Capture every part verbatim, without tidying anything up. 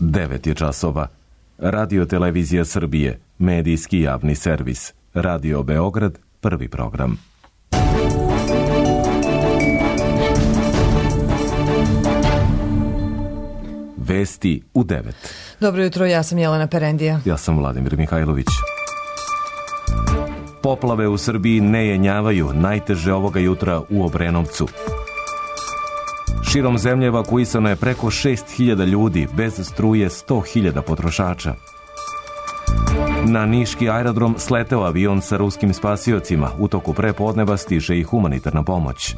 devet je časova. Radio Televizija Srbije, medijski javni servis. Radio Beograd, prvi program. Vesti u devet. Dobro jutro, ja sam Jelena Perendija. Ja sam Vladimir Mihajlović. Poplave u Srbiji ne jenjavaju, najteže ovoga jutra u Obrenovcu. Širom zemlje evakuisano je preko šest hiljada ljudi, bez struje sto hiljada potrošača. Na niški aerodrom sleteo avion sa ruskim spasiocima, u toku prepodneva stiže i humanitarna pomoć.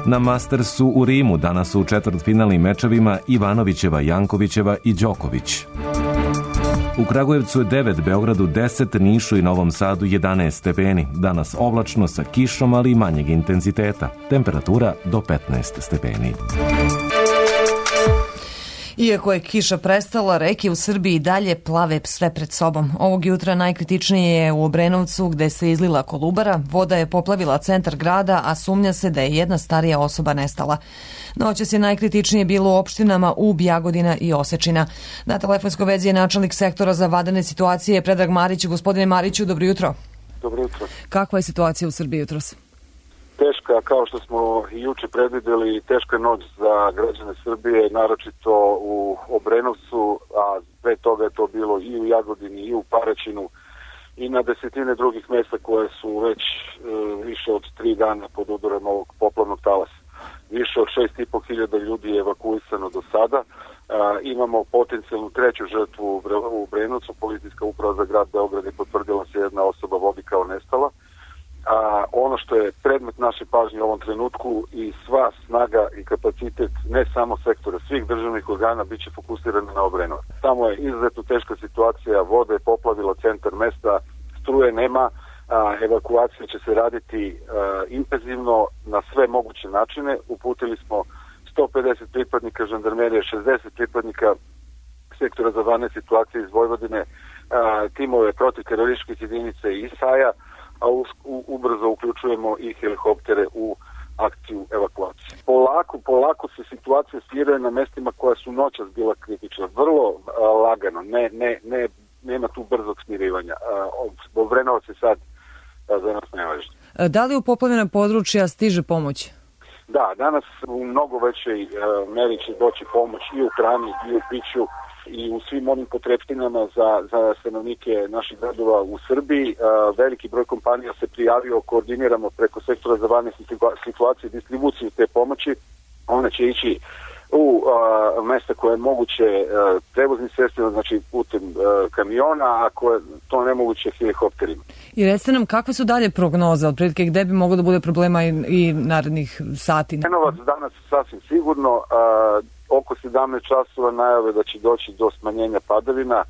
Na Mastersu u Rimu danas su u četvrtfinalnim mečevima Ivanovićeva, Jankovićeva i Đoković. U Kragujevcu je devet, Beogradu deset, Nišu i Novom Sadu jedanaest stepeni. Danas oblačno sa kišom, ali i manjeg intenziteta. Temperatura do petnaest stepeni. Iako je kiša prestala, reke u Srbiji dalje plave sve pred sobom. Ovog jutra najkritičnije je u Obrenovcu, gde se izlila Kolubara. Voda je poplavila centar grada, a sumnja se da je jedna starija osoba nestala. Noćas je najkritičnije bilo u opštinama Ub, Jagodina i Osečina. Na telefonskoj vezi je načelnik sektora za vanredne situacije Predrag Marić. Gospodine Mariću, dobro jutro. Dobro jutro. Kakva je situacija u Srbiji jutros? Teška, kao što smo i juče predvideli, teška noć za građane Srbije, naročito u Obrenovcu, a pre toga je to bilo i u Jagodini i u Paraćinu i na desetine drugih mesta koje su već e, više od tri dana pod udarom ovog poplavnog talasa. Više od šest i po hiljada ljudi je evakuisano do sada. A, imamo potencijalnu treću žrtvu u Obrenovcu. Policijska uprava za grad Beograd je potvrdila se jedna osoba vodi kao nestala. A, ono što je predmet naše pažnje u ovom trenutku i sva snaga i kapacitet ne samo sektora, svih državnih organa bit će fokusirana na Obrenovac. Tamo je izuzetno teška situacija, voda je poplavila centar mesta, struje nema, a, evakuacija će se raditi a, intenzivno na sve moguće načine. Uputili smo sto pedeset pripadnika žandarmerije, šezdeset pripadnika sektora za vanredne situacije iz Vojvodine, a, timove protivterorističkih jedinica i I S A-ja, a u, u, ubrzo uključujemo i helikoptere u akciju evakuacije. Polako, polako se situacija smiruje na mestima koja su noćas bila kritična. Vrlo a, lagano, ne, ne, ne, nema tu brzog smirivanja. Obrenovac je sad a, za nas nevažno. Da li u poplavljena područja stiže pomoć? Da, danas u mnogo većoj meri će doći pomoć i u hrani i u piću i u svim onim potrepštinama za, za stanovnike naših gradova u Srbiji. A, veliki broj kompanija se prijavio, koordiniramo preko sektora za vanredne situacije i distribuciju te pomoći. Ona će ići u a, mesta koje je moguće a, prevoznim sredstvima, znači putem a, kamiona, a koje to nemoguće helikopterima. I recite nam, kakve su dalje prognoze, otprilike gde bi moglo da bude problema i, i narednih sati? Obrenovec danas sasvim sigurno, a, oko sedamnaest časova najave da će doći do smanjenja padavina.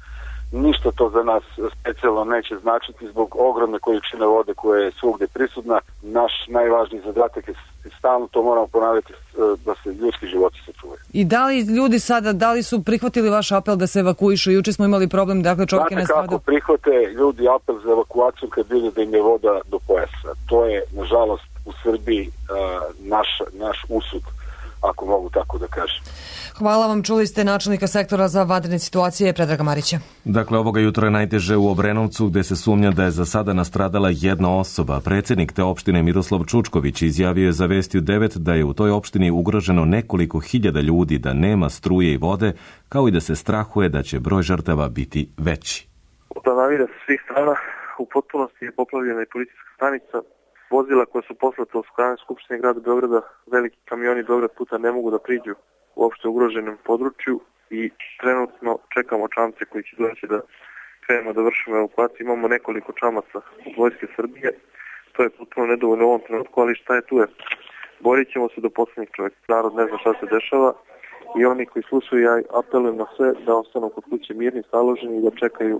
Ništa to za nas specijalno neće značiti zbog ogromne količine vode koja je svugde prisutna. Naš najvažniji zadatak je stalno, to moramo ponavljati, da se ljudski životi sačuvaju. I da li ljudi sada, da li su prihvatili vaš apel da se evakuišu? Juče smo imali problem, dakle čovjek je ne stradao. Znate kako prihvate ljudi apel za evakuaciju kad vide da im je voda do pojasa? To je, nažalost, u Srbiji uh, naš, naš usud, ako mogu tako da kažem. Hvala vam, čuli ste načelnika sektora za vanredne situacije Predraga Marića. Dakle, ovoga jutra je najteže u Obrenovcu, gde se sumnja da je za sada nastradala jedna osoba. Predsjednik te opštine Miroslav Čučković izjavio je za Vesti u devet da je u toj opštini ugroženo nekoliko hiljada ljudi, da nema struje i vode, kao i da se strahuje da će broj žrtava biti veći. Planavira sa svih strana, u potpunosti je poplavljena i policijska stanica. Vozila koja su poslata u strane Skupštine grada Beograda, veliki kamioni Beograd puta ne mogu da priđu u uopšte ugroženom području i trenutno čekamo čamce koji će doći da krenemo da vršimo evakuaciju. Imamo nekoliko čamaca od Vojske Srbije, to je potpuno nedovoljno u ovom trenutku, ali šta je tu je. Borit ćemo se do poslednjeg čovjeka. Narod ne zna šta se dešava i oni koji slušaju, ja apelujem na sve da ostanu kod kuće mirni, staloženi i da čekaju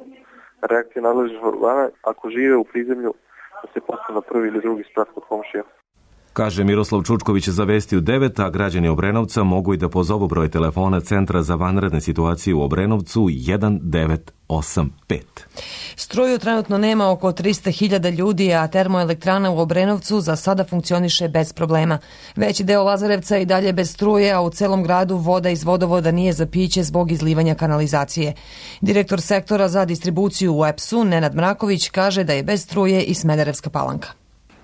reakcije nadležnih organa. Ako žive u prizemlju, da se postane prvi ili drugi sprat kod komšija. Kaže Miroslav Čučković za Vesti u devet, a građani Obrenovca mogu i da pozovu broj telefona Centra za vanredne situacije u Obrenovcu jedan devet osam pet. Struju trenutno nema oko trista hiljada ljudi, a termoelektrana u Obrenovcu za sada funkcioniše bez problema. Veći deo Lazarevca i dalje bez struje, a u celom gradu voda iz vodovoda nije za piće zbog izlivanja kanalizacije. Direktor sektora za distribuciju u E P S-u, Nenad Mraković, kaže da je bez struje i Smederevska Palanka.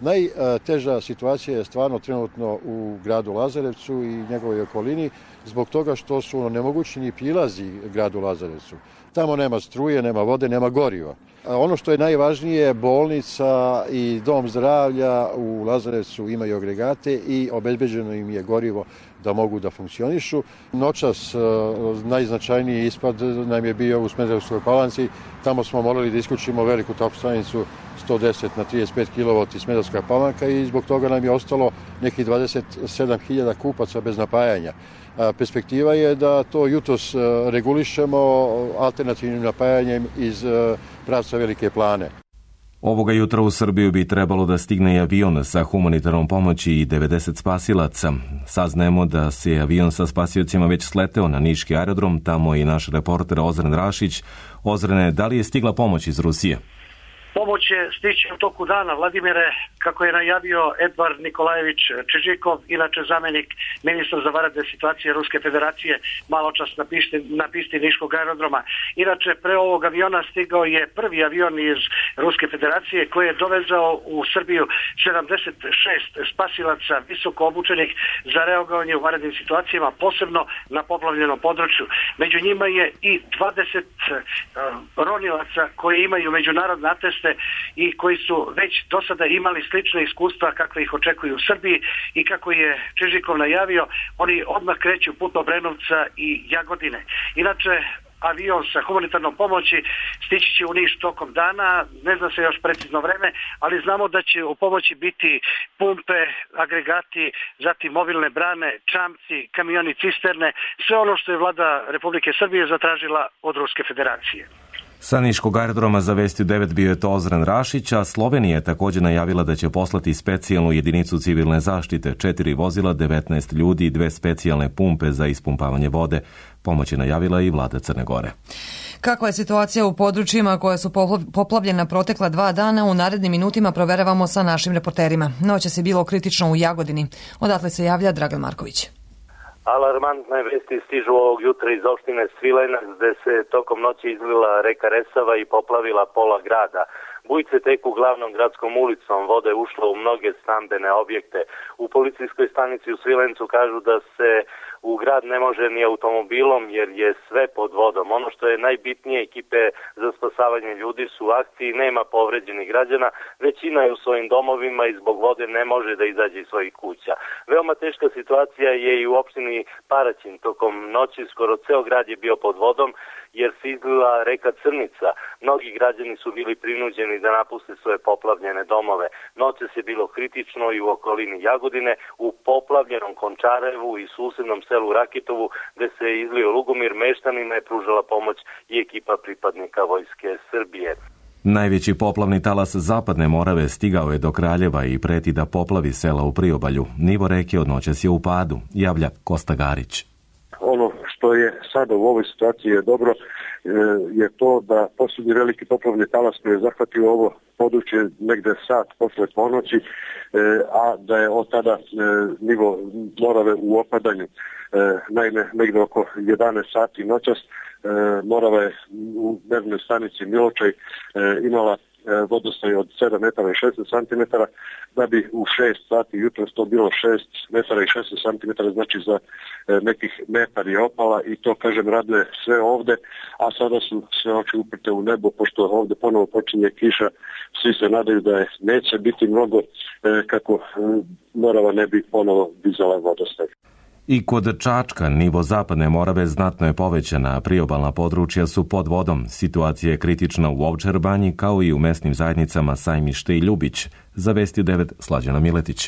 Najteža situacija je stvarno trenutno u gradu Lazarevcu i njegovoj okolini zbog toga što su onemogućeni prilazi gradu Lazarevcu. Tamo nema struje, nema vode, nema goriva. A ono što je najvažnije, bolnica i dom zdravlja u Lazarevcu imaju agregate i obezbeđeno im je gorivo da mogu da funkcionišu. Noćas najznačajniji ispad nam je bio u Smederevskoj Palanci. Tamo smo morali da isključimo veliku termostanicu sto deset na trideset pet kilovata Smederevska Palanka i zbog toga nam je ostalo nekih dvadeset sedam hiljada kupaca bez napajanja. Perspektiva je da to jutros regulišemo alternativnim napajanjem iz pravca Velike Plane. Ovoga jutra u Srbiju bi trebalo da stigne i avion sa humanitarnom pomoći i devedeset spasilaca. Saznajemo da se avion sa spasiocima već sleteo na niški aerodrom, tamo i naš reporter Ozren Rašić. Ozrene, da li je stigla pomoć iz Rusije? Pomoć će stići u toku dana, Vladimire, kako je najavio Edvard Nikolajević Čižikov, inače zamenik ministra za vanredne situacije Ruske federacije, malo čas na pisti, na pisti Niškog aerodroma. Inače, pre ovog aviona stigao je prvi avion iz Ruske federacije koji je dovezao u Srbiju sedamdeset šest spasilaca visoko obučenih za reagovanje u vanrednim situacijama, posebno na poplavljenom području. Među njima je i dvadeset ronilaca koji imaju međunarodne ateste i koji su već do sada imali slične iskustva kakve ih očekuju u Srbiji i kako je Čižikov najavio, oni odmah kreću put Obrenovca i Jagodine. Inače, avion sa humanitarnom pomoći stići će u Niš tokom dana, ne zna se još precizno vreme, ali znamo da će u pomoći biti pumpe, agregati, zatim mobilne brane, čamci, kamioni cisterne, sve ono što je vlada Republike Srbije zatražila od Ruske federacije. Sa Niškog aerodroma za Vesti u devet bio je to Ozren Rašić, a Slovenija je također najavila da će poslati specijalnu jedinicu civilne zaštite, četiri vozila, devetnaest ljudi i dve specijalne pumpe za ispumpavanje vode. Pomoć je najavila i vlada Crne Gore. Kakva je situacija u područjima koja su poplavljena protekla dva dana, u narednim minutima proveravamo sa našim reporterima. Noćas je bilo kritično u Jagodini. Odatle se javlja Dragan Marković. Alarmantne vesti stižu ovog jutra iz opštine Svilajnac, gde se tokom noći izlila reka Resava i poplavila pola grada. Bujice teku glavnom gradskom ulicom, voda je ušla u mnoge stambene objekte. U policijskoj stanici u Svilajncu kažu da se u grad ne može ni automobilom jer je sve pod vodom. Ono što je najbitnije, ekipe za spasavanje ljudi su u akciji, nema povređenih građana, većina je u svojim domovima i zbog vode ne može da izađe iz svojih kuća. Veoma teška situacija je i u opštini Paraćin. Tokom noći skoro ceo grad je bio pod vodom jer se izlila reka Crnica. Mnogi građani su bili prinuđeni da napuste svoje poplavljene domove. Noćas je bilo kritično i u okolini Jagodine, u poplavljenom Končarevu i susednom selu Rakitovu, gde se izlio Lugomir, meštanima je pružala pomoć i ekipa pripadnika Vojske Srbije. Najveći poplavni talas Zapadne Morave stigao je do Kraljeva i preti da poplavi sela u priobalju. Nivo reke od noćas je u padu, javlja Kosta Garić. Ono što je sada u ovoj situaciji je dobro je to da posljednji veliki poplavni talas koji je zahvatio ovo područje negde sat posle ponoći, a da je od tada nivo Morave u opadanju. Naime, negde oko jedanaest sati noćas Morava je u mernoj stanici Miločaj imala vodostaj od sedam metara i šesnaest santimetara, da bi u šest sati jutros to bilo šest metara i šesnaest santimetara, znači za nekih metar je opala i to, kažem, raduje sve ovde, a sada su sve oči uprte u nebo, pošto ovde ponovo počinje kiša, svi se nadaju da je neće biti mnogo kako Morava ne bi ponovo dizala vodostaj. I kod Čačka nivo Zapadne Morave znatno je povećana, a priobalna područja su pod vodom. Situacija je kritična u Ovčar Banji kao i u mesnim zajednicama Sajmište i Ljubić. Za Vesti devet Slađana Miletić.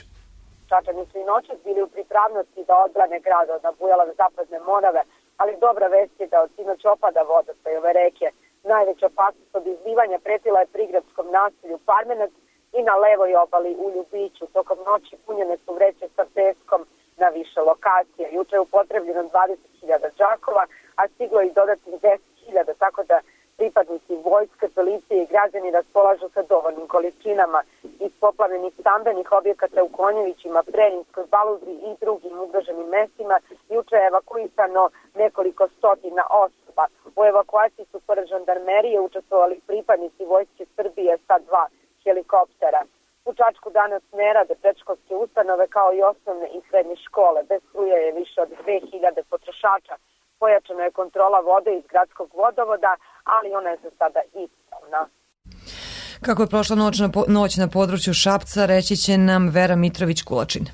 Čačani su i noćas bili u pripravnosti da odbrane grad od nabujale Zapadne Morave, ali dobra vest je da od sinoć opada vodostaj ove reke. Najveća opasnost od izlivanja pretila je prigradskom naselju Parmenac i i na levoj obali u Ljubiću. Tokom noći punjene su vreće sa peskom na više lokacija. Juče je upotrebljeno dvadeset hiljada džakova, a stiglo i dodatnih deset hiljada, tako da pripadnici vojske, policije i građani raspolažu sa dovoljnim količinama. Iz poplavljenih stambenih objekata u Konjevićima, Preljinskoj, Baludri i drugim ugroženim mestima juče je evakuisano nekoliko stotina osoba. U evakuaciji su pored žandarmerije učestvovali pripadnici Vojske Srbije sa dva helikoptera. U Čačku danas ne rade predškolske ustanove kao i osnovne i srednje škole. Bez struje je više od dve hiljade potrošača. Pojačana je kontrola vode iz gradskog vodovoda, ali ona je za sada ispravna. Kako je prošla noć na, noć na području Šapca, reći će nam Vera Mitrović-Kulačin.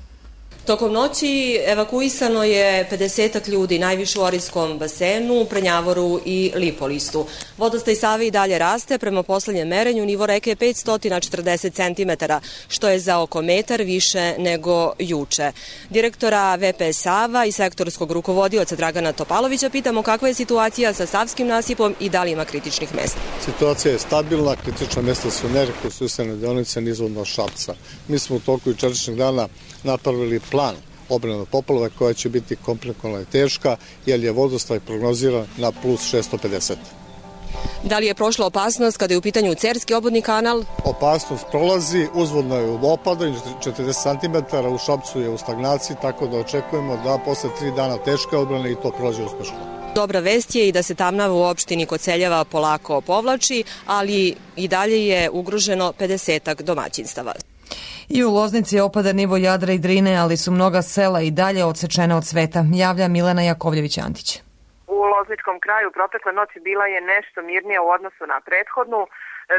Tokom noći evakuisano je pedesetak ljudi, najviše u Orijskom basenu, Prenjavoru i Lipolistu. Vodostaj Save i dalje raste, prema poslednjem merenju nivo reke je petsto četrdeset centimetara, što je za oko metar više nego juče. Direktora V P Sava i sektorskog rukovodioca Dragana Topalovića pitamo kakva je situacija sa Savskim nasipom i da li ima kritičnih mesta. Situacija je stabilna, kritična mesta su nerekonstruisane deonice nizvodno Šapca. Mi smo u toku jučerašnjeg dana napravili plan obrane od poplava koja će biti komplikovaná i teška, jer je vodostaj prognoziran na plus šessto pedeset. Da li je prošla opasnost kada je u pitanju Cerski obodni kanal? Opasnost prolazi, uzvodno je u opadanju četrdeset centimetara, u Šapcu je u stagnaciji, tako da očekujemo da posle tri dana teške odbrane i to prođe uspešno. Dobra vest je i da se Tamnava u opštini Koceljeva polako povlači, ali i dalje je ugroženo pedesetak domaćinstava. I u Loznici je opada nivo Jadra i Drine, ali su mnoga sela i dalje odsečena od sveta, javlja Milena Jakovljević-Antić. U Lozničkom kraju protekle noći bila je nešto mirnija u odnosu na prethodnu.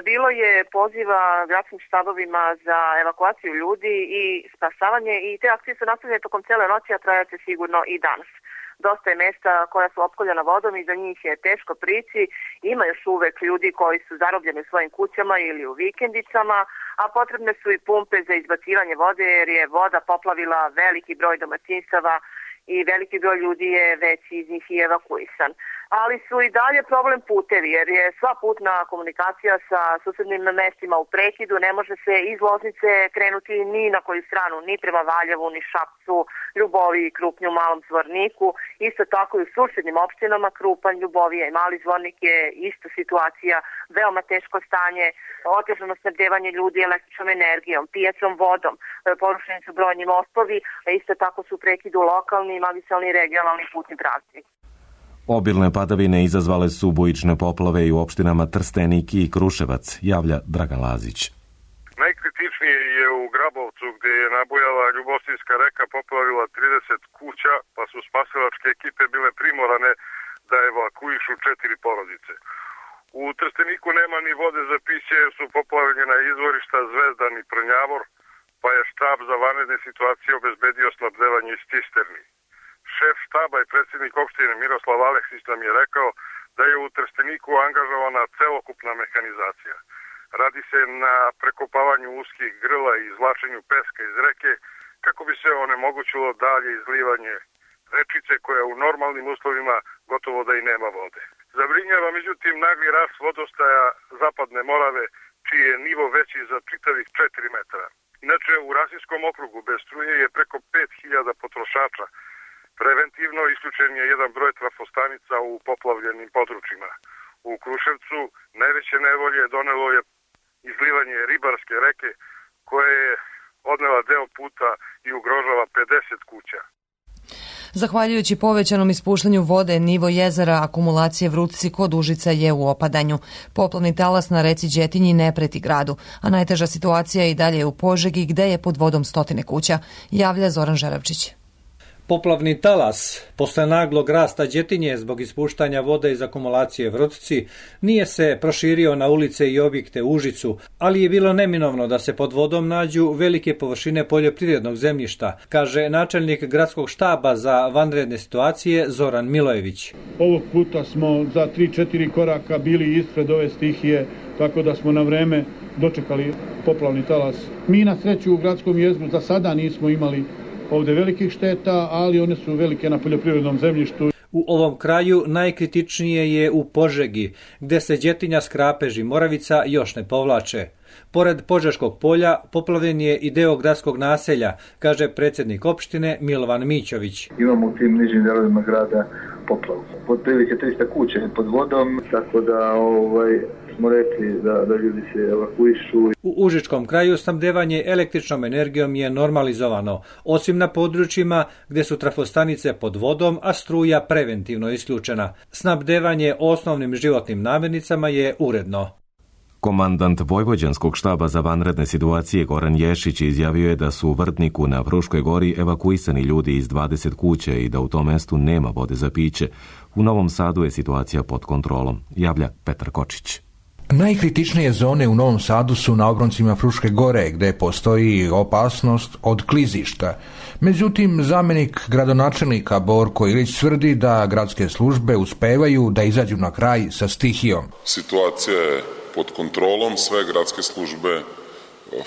Bilo je poziva gradskim štabovima za evakuaciju ljudi i spasavanje i te akcije su nastavljene tokom cele noći, a trajaće sigurno i danas. Dosta je mesta koja su opkoljena vodom i za njih je teško prići. Ima još uvek ljudi koji su zarobljeni u svojim kućama ili u vikendicama, a potrebne su i pumpe za izbacivanje vode jer je voda poplavila veliki broj domaćinstava i veliki broj ljudi je već iz njih i evakuisan. Ali su i dalje problem putevi jer je sva putna komunikacija sa susednim mestima u prekidu, ne može se iz Loznice krenuti ni na koju stranu, ni prema Valjevu, ni Šapcu, Ljubovi, Krupnju, Malom Zvorniku. Isto tako i u susednim opštinama Krupanj, Ljubovija i Mali Zvornik je isto situacija, veoma teško stanje, otežano snabdevanje ljudi električnom energijom, pijaćom vodom, porušeni su brojni mostovi, a isto tako su u prekidu lokalni, magistralni i regionalni putni pravci. Obilne padavine izazvale su bujične poplave i u opštinama Trstenik i Kruševac, javlja Dragan Lazić. Najkritičnije je u Grabovcu gdje je nabujala Ljubostinska reka, poplavila trideset kuća, pa su spasilačke ekipe bile primorane da evakuišu četiri porodice. U Trsteniku nema ni vode za piće jer su poplavljena izvorišta Zvezdan i Prnjavor, pa je štab za vanredne situacije obezbedio snabdevanje iz cisterni. Šef štaba i predsjednik opštine Miroslav Aleksić nam je rekao da je u Trsteniku angažovana celokupna mehanizacija. Radi se na prekopavanju uskih grla i izvlačenju peska iz reke kako bi se onemogućilo dalje izlivanje rečice koja u normalnim uslovima gotovo da i nema vode. Zabrinjava međutim nagli rast vodostaja Zapadne Morave čiji je nivo veći za čitavih četiri metra. Inače u Rasinskom okrugu bez struje je preko pet hiljada potrošača. Preventivno isključen je jedan broj trafostanica u poplavljenim područjima. U Kruševcu najveće nevolje donelo je izlivanje Ribarske reke koje je odnela deo puta i ugrožava pedeset kuća. Zahvaljujući povećanom ispuštanju vode, nivo jezera akumulacije Vrutci kod Užica je u opadanju. Poplavni talas na reci Đetinji ne preti gradu, a najteža situacija je i dalje u Požegi gde je pod vodom stotine kuća, javlja Zoran Žeravčić. Poplavni talas, posle naglog rasta Đetinje zbog ispuštanja vode iz akumulacije Vrutci, nije se proširio na ulice i objekte u Užicu, ali je bilo neminovno da se pod vodom nađu velike površine poljoprivrednog zemljišta, kaže načelnik gradskog štaba za vanredne situacije Zoran Milojević. Ovog puta smo za tri četiri koraka bili ispred ove stihije, tako da smo na vreme dočekali poplavni talas. Mi na sreću u gradskom jezgru za sada nismo imali ovde velikih šteta, ali one su velike na poljoprivrednom zemljištu. U ovom kraju najkritičnije je u Požegi, gde se Đetinja, Skrapež i Moravica još ne povlače. Pored Požeškog polja poplavljen je i deo gradskog naselja, kaže predsjednik opštine Milovan Mićović. Imamo u tim nižim delovima grada poplavu. Pod prilike trista kuće pod vodom, tako da ovaj, smo rekli da, da ljudi se evakuišu. U Užičkom kraju snabdevanje električnom energijom je normalizovano, osim na područjima gdje su trafostanice pod vodom, a struja preventivno isključena. Snabdevanje osnovnim životnim namirnicama je uredno. Komandant Vojvođanskog štaba za vanredne situacije Goran Ješić izjavio je da su u Vrtniku na Fruškoj gori evakuisani ljudi iz dvadeset kuće i da u tom mestu nema vode za piće. U Novom Sadu je situacija pod kontrolom, javlja Petar Kočić. Najkritičnije zone u Novom Sadu su na obroncima Fruške gore, gdje postoji opasnost od klizišta. Međutim, zamjenik gradonačelnika Borko Ilić tvrdi da gradske službe uspevaju da izađu na kraj sa stihijom. Situacija je pod kontrolom, sve gradske službe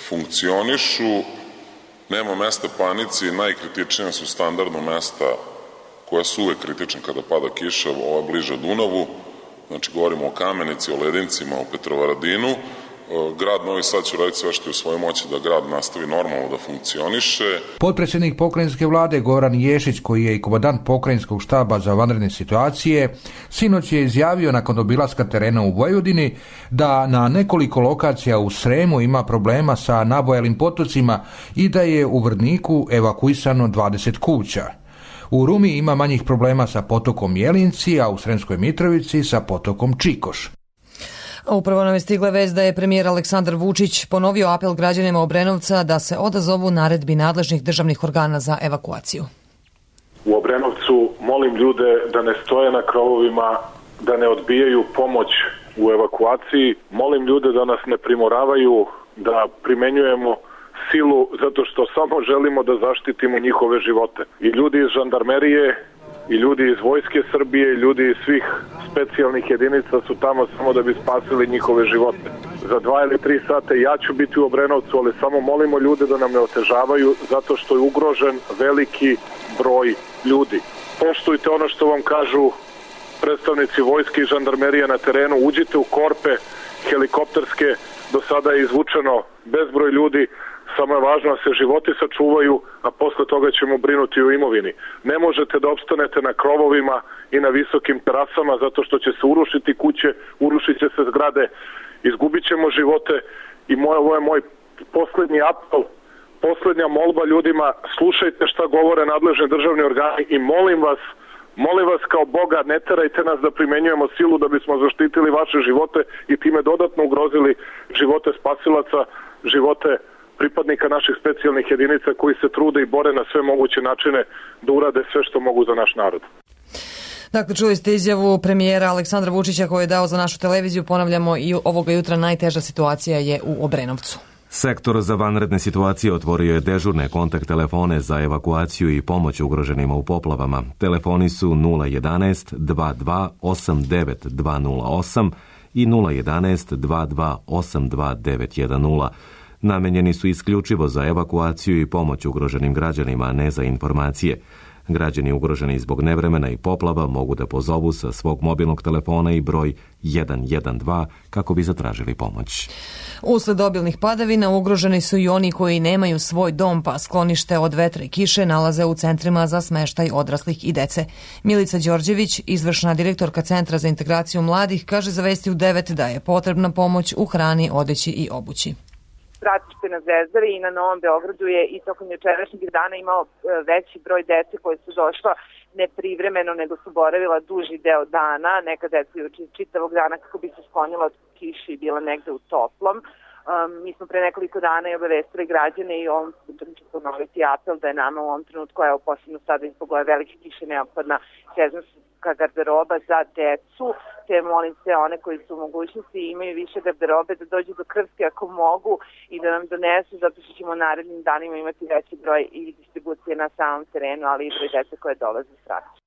funkcionišu, nema mesta panici, najkritičnija su standardno mesta koja su uvek kritična kada pada kiša, ova bliže Dunavu, znači govorimo o Kamenici, o Ledincima, o Petrovaradinu. Grad Novi Sad će raditi sve što je u svojoj moći da grad nastavi normalno da funkcioniše. Potpredsjednik pokrajinske vlade Goran Ješić, koji je i komandant pokrajinskog štaba za vanredne situacije, sinoć je izjavio nakon obilaska terena u Vojvodini da na nekoliko lokacija u Sremu ima problema sa nabojalim potocima i da je u Vrtniku evakuisano dvadeset kuća. U Rumi ima manjih problema sa potokom Jelinci, a u Sremskoj Mitrovici sa potokom Čikoš. Upravo nam je stigla vest da je premijer Aleksandar Vučić ponovio apel građanima Obrenovca da se odazovu naredbi nadležnih državnih organa za evakuaciju. U Obrenovcu molim ljude da ne stoje na krovovima, da ne odbijaju pomoć u evakuaciji. Molim ljude da nas ne primoravaju, da primenjujemo silu zato što samo želimo da zaštitimo njihove živote. I ljudi iz žandarmerije, i ljudi iz Vojske Srbije, i ljudi iz svih specijalnih jedinica su tamo samo da bi spasili njihove živote. Za dva ili tri sata ja ću biti u Obrenovcu, ali samo molimo ljude da nam ne otežavaju zato što je ugrožen veliki broj ljudi. Poštujte ono što vam kažu predstavnici Vojske i žandarmerije na terenu, uđite u korpe helikopterske, do sada je izvučeno bezbroj ljudi, samo je važno da se životi sačuvaju, a posle toga ćemo brinuti o imovini. Ne možete da opstanete na krovovima i na visokim terasama zato što će se urušiti kuće, urušit će se zgrade, izgubit ćemo živote i moj, ovo je moj poslednji apel, poslednja molba ljudima, slušajte šta govore nadležni državni organi i molim vas, molim vas kao Boga, ne terajte nas da primenjujemo silu da bismo zaštitili vaše živote i time dodatno ugrozili živote spasilaca, živote pripadnika naših specijalnih jedinica koji se trude i bore na sve moguće načine da urade sve što mogu za naš narod. Dakle, čuli ste izjavu premijera Aleksandra Vučića koju je dao za našu televiziju. Ponavljamo, i ovoga jutra najteža situacija je u Obrenovcu. Sektor za vanredne situacije otvorio je dežurne kontakt telefone za evakuaciju i pomoć ugroženima u poplavama. Telefoni su nula jedanaest dva dva osam devet dva nula osam i nula jedanaest dva dva osam dva devet jedan nula. Namenjeni su isključivo za evakuaciju i pomoć ugroženim građanima, a ne za informacije. Građani ugroženi zbog nevremena i poplava mogu da pozovu sa svog mobilnog telefona i broj jedan jedan dva kako bi zatražili pomoć. Usled obilnih padavina ugroženi su i oni koji nemaju svoj dom, pa sklonište od vetra i kiše nalaze u centrima za smeštaj odraslih i dece. Milica Đorđević, izvršna direktorka Centra za integraciju mladih, kaže za Vesti u devet da je potrebna pomoć u hrani, odeći i obući. Stratište na Zvezdari i na Novom Beogradu je i tokom jučerašnjeg dana imao veći broj dece koje su došla ne privremeno, nego su boravila duži deo dana, neka deca čitavog dana kako bi se sklonila od kiši i bila negde u toplom. Um, mi smo pre nekoliko dana i obavestili građane i ovom putem ću ponoviti apel da je nama u ovom trenutku, evo posebno sada zbog ove velike kiše neophodna sezonska garderoba za decu, te molim sve one koji su u mogućnosti i imaju više garderobe da dođu do Krvske ako mogu i da nam donesu, zato što ćemo u narednim danima imati veći broj i distribucije na samom terenu, ali i broj dece koje dolaze s rasta.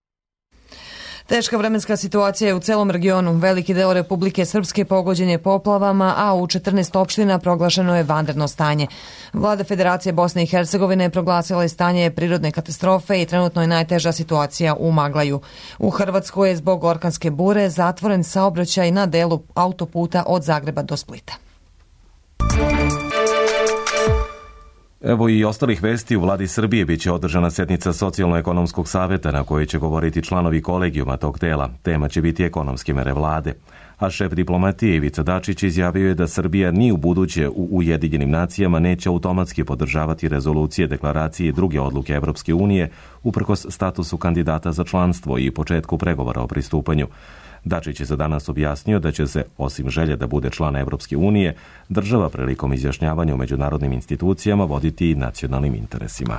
Teška vremenska situacija je u celom regionu. Veliki deo Republike Srpske pogođen je poplavama, a u četrnaest opština proglašeno je vanredno stanje. Vlada Federacije Bosne i Hercegovine proglasila je stanje prirodne katastrofe i trenutno je najteža situacija u Maglaju. U Hrvatskoj je zbog orkanske bure zatvoren saobraćaj na delu autoputa od Zagreba do Splita. Evo i ostalih vesti. U vladi Srbije biće održana sednica Socijalno-ekonomskog saveta na kojoj će govoriti članovi kolegijuma tog tela. Tema će biti ekonomske mere vlade. A šef diplomatije Ivica Dačić izjavio je da Srbija ni u buduće u Ujedinjenim nacijama neće automatski podržavati rezolucije, deklaracije i druge odluke Evropske unije uprkos statusu kandidata za članstvo i početku pregovora o pristupanju. Dačić je za danas objasnio da će se, osim želje da bude član Evropske unije, država prilikom izjašnjavanja u međunarodnim institucijama voditi i nacionalnim interesima.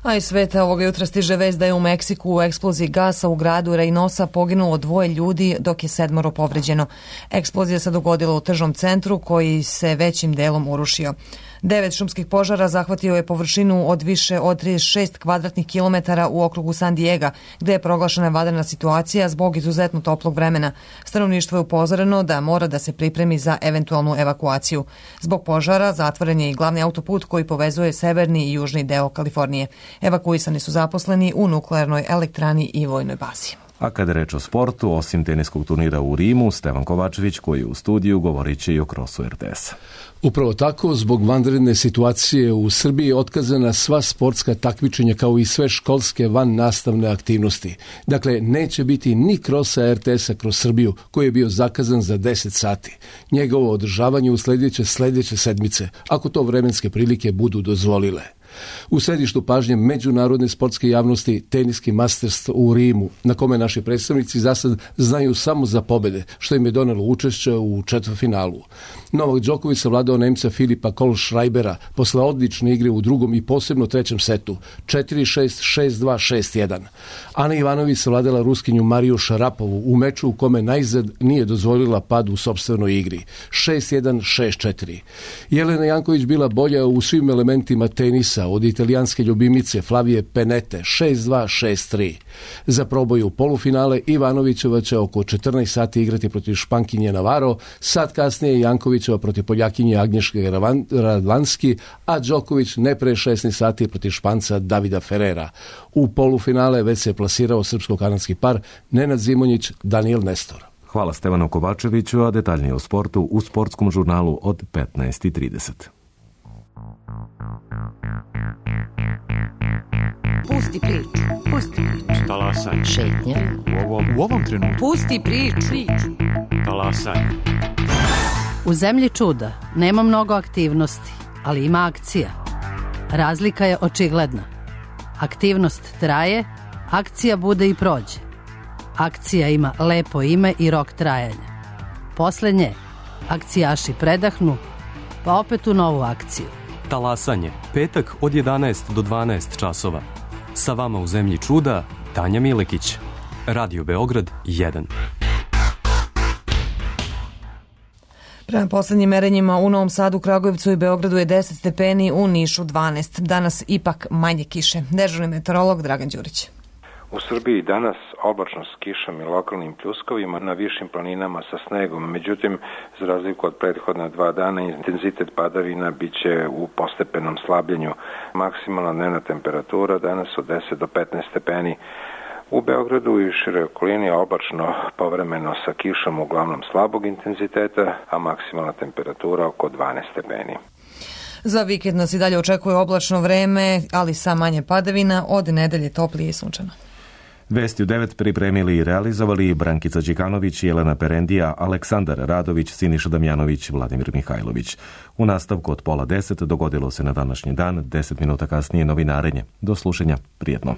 A iz sveta ovoga jutra stiže vest da je u Meksiku u eksploziji gasa u gradu Reynosa poginulo dvoje ljudi, dok je sedmoro povređeno. Eksplozija se dogodila u tržnom centru koji se većim delom urušio. Devet šumskih požara zahvatio je površinu od više od trideset šest kvadratnih kilometara u okrugu San Diega, gde je proglašena vanredna situacija zbog izuzetno toplog vremena. Stanovništvo je upozoreno da mora da se pripremi za eventualnu evakuaciju. Zbog požara zatvoren je i glavni autoput koji povezuje severni i južni deo Kalifornije. Evakuisani su zaposleni u nuklearnoj elektrani i vojnoj bazi. A kada reč o sportu, osim teniskog turnira u Rimu, Stevan Kovačević, koji je u studiju, govorit će i o krosu er te esa. Upravo tako, zbog vanredne situacije u Srbiji je otkazana sva sportska takmičenja kao i sve školske van nastavne aktivnosti. Dakle, neće biti ni krosa er te esa kroz Srbiju, koji je bio zakazan za deset sati. Njegovo održavanje usledit će sljedeće sedmice, ako to vremenske prilike budu dozvolile. U središtu pažnje međunarodne sportske javnosti teniski Masters u Rimu, na kome naši predstavnici za sad znaju samo za pobjede, što im je donelo učešće u četvrtfinalu. Novak Đoković savladao Nemca Filipa Kohlschreibera posle odlične igre u drugom i posebno trećem setu, četiri šest, šest dva, šest jedan. Ana Ivanović savladala Ruskinju Mariju Šarapovu u meču u kome najzad nije dozvolila pad u sopstvenoj igri, šest jedan, šest četiri. Jelena Janković bila bolja u svim elementima tenisa od italijanske ljubimice Flavije Penete, šest dva, šest tri. Za proboj u polufinale Ivanovićeva će oko četrnaest sati igrati protiv Špankinje Navarro, sat kasnije Jankovićeva protiv Poljakinje Agnješke Radvanski, a Đoković ne pre šesnaest sati protiv Španca Davida Ferrera. U polufinale već se plasirao srpsko-kanadski par Nenad Zimonjić, Daniel Nestor. Hvala Stevanu Kovačeviću, a detaljnije o sportu u sportskom žurnalu od petnaest i trideset. Pusti priču, pusti priču. Talasaj. Šetnja. U ovom, u ovom trenutku. Pusti priču. Talasaj. U zemlji čuda nema mnogo aktivnosti, ali ima akcija. Razlika je očigledna. Aktivnost traje, akcija bude i prođe. Akcija ima lepo ime i rok trajanja. Posle nje akcijaši predahnu, pa opet u novu akciju. Talasanje, petak od jedanaest do dvanaest časova. Sa vama u zemlji čuda, Tanja Milekić. Radio Beograd jedan. Prema poslednjim merenjima u Novom Sadu, Kragujevcu i Beogradu je deset stepeni, u Nišu dvanaest. Danas ipak manje kiše. Dežurni meteorolog Dragan Đurić. U Srbiji danas oblačno s kišom i lokalnim pljuskovima, na višim planinama sa snegom. Međutim, za razliku od prethodna dva dana, intenzitet padavina biće u postepenom slabljenju. Maksimalna dnevna temperatura danas od deset do petnaest stepeni. U Beogradu i široj okolini oblačno povremeno sa kišom uglavnom slabog intenziteta, a maksimalna temperatura oko dvanaest stepeni. Za vikend nas i dalje očekuje oblačno vreme, ali sa manje padavina, od nedelje toplije i sunčano. Vesti u devet pripremili i realizovali Brankica Đikanović, Jelena Perendija, Aleksandar Radović, Siniša Damjanović, Vladimir Mihajlović. U nastavku od pola deset dogodilo se na današnji dan, deset minuta kasnije novinarenje. Do slušanja, prijetno.